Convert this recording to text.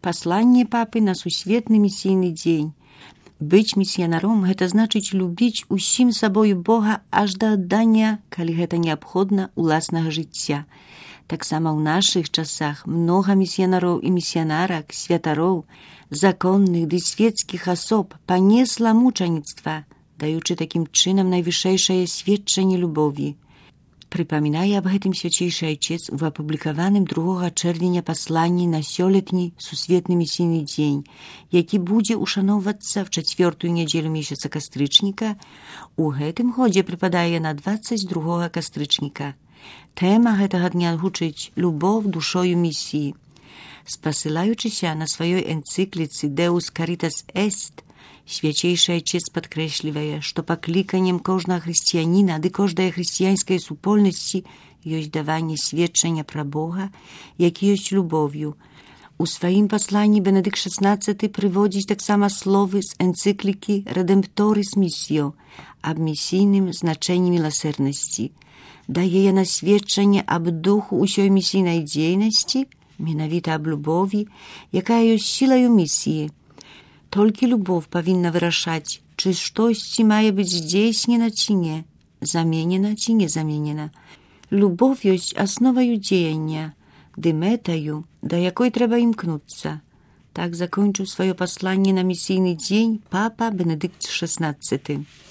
Пасланне папы на сусветны місійны дзень. Быць місіянаром – гэта значыць любіць усім сабою Бога аж да аддання, калі гэта неабходна, уласнага жыцця. Таксама ў нашых часах многа місіянароў і місіянарак, святароў, законных ды свецкіх асоб панесла мучаніцтва, даючы такім чынам найвышэйшае сведчанне любові. Прыпамінае аб гэтым свячэйшы айчец у апублікаваным 2 чэрвеня пасланні на сёлетні сусветны місійны дзень, які будзе ушаноўвацца в 4-ю нядзелю месяца кастрычніка. У гэтым годзе прыпадае на 22 кастрычніка. Тэма гэтага дня гучыць «Любов душою місіі». Спасылаючыся на сваёй энцыкліцы «Deus Caritas Est», свячэйшы айчец падкрэслівае, што пакліканнем кожнага хрысціяніна ды кожнай хрысціянскай супольнасці ёсць даванне сведчання пра Бога, які ёсць любоўю. У сваім пасланні Бенедыкт XVI прыводзіць таксама словы з энцыклікі «Redemptoris Missio» аб місійным значэнні міласэрнасці. Дае яна сведчанне аб духу ўсёй місійнай дзейнасці, менавіта аб любові, якая ёсць сілаю місіі. Толькі любов павінна вырашаць, чы штосьці мае быць здзейснена ці не, заменена ці не заменена. Любов ёсць асноваю дзеяння, ды мэтаю, да якой трэба імкнуцца. Так закончыў сваё пасланне на місійны дзень папа Бенедыкт XVI.